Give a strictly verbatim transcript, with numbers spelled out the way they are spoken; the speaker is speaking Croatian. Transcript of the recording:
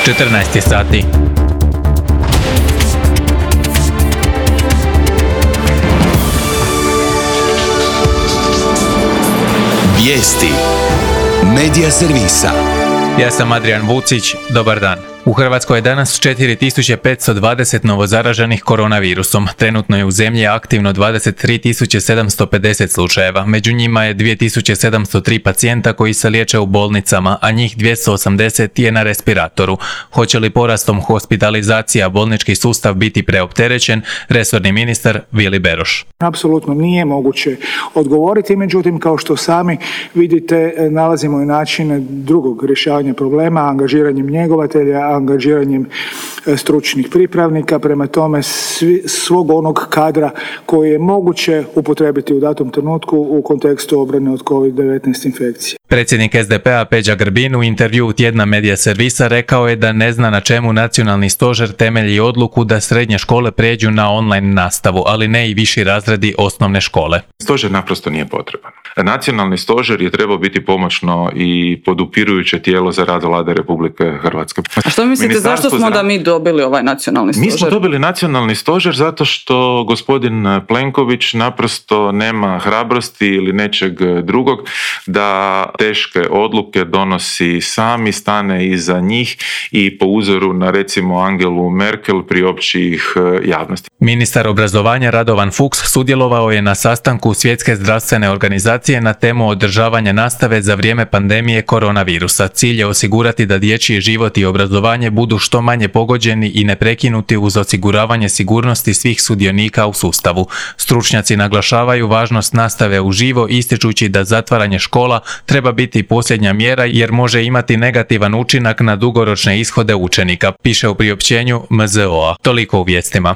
četrnaest je sati. Vijesti Medija servisa. Ja sam Adrian Vucić, dobar dan. U Hrvatskoj je danas četiri tisuće petsto dvadeset novozaraženih koronavirusom. Trenutno je u zemlji aktivno dvadeset tri tisuće sedamsto pedeset slučajeva. Među njima je dvije tisuće sedamsto tri pacijenta koji se liječe u bolnicama, a njih dvjesto osamdeset je na respiratoru. Hoće li porastom hospitalizacija bolnički sustav biti preopterećen? Resorni ministar Vili Beroš. Apsolutno nije moguće odgovoriti, međutim kao što sami vidite nalazimo i načine drugog rješavanja problema, angažiranjem njegovatelja, angažiranjem stručnih pripravnika, prema tome svi, svog onog kadra koji je moguće upotrijebiti u datom trenutku u kontekstu obrane od kovid devetnaest infekcije. Predsjednik es de pe a Peđa Grbin u intervjuu tjedna Medija servisa rekao je da ne zna na čemu nacionalni stožer temelji odluku da srednje škole prijeđu na online nastavu, ali ne i viši razredi osnovne škole. Stožer naprosto nije potreban. Nacionalni stožer je trebao biti pomoćno i podupirujuće tijelo za rad Vlade Republike Hrvatske. A što mislite, zašto smo da mi dobili ovaj nacionalni stožer? Mi smo dobili nacionalni stožer zato što gospodin Plenković naprosto nema hrabrosti ili nečeg drugog da teške odluke donosi sami, stane iza njih i po uzoru na recimo Angelu Merkel priopći ih javnosti. Ministar obrazovanja Radovan Fuchs sudjelovao je na sastanku Svjetske zdravstvene organizacije na temu održavanja nastave za vrijeme pandemije koronavirusa. Cilj je osigurati da dječji život i obrazovanje budu što manje pogođeni i neprekinuti uz osiguravanje sigurnosti svih sudionika u sustavu. Stručnjaci naglašavaju važnost nastave uživo, ističući da zatvaranje škola treba biti posljednja mjera jer može imati negativan učinak na dugoročne ishode učenika, piše u priopćenju em zet o a. Toliko u vijestima.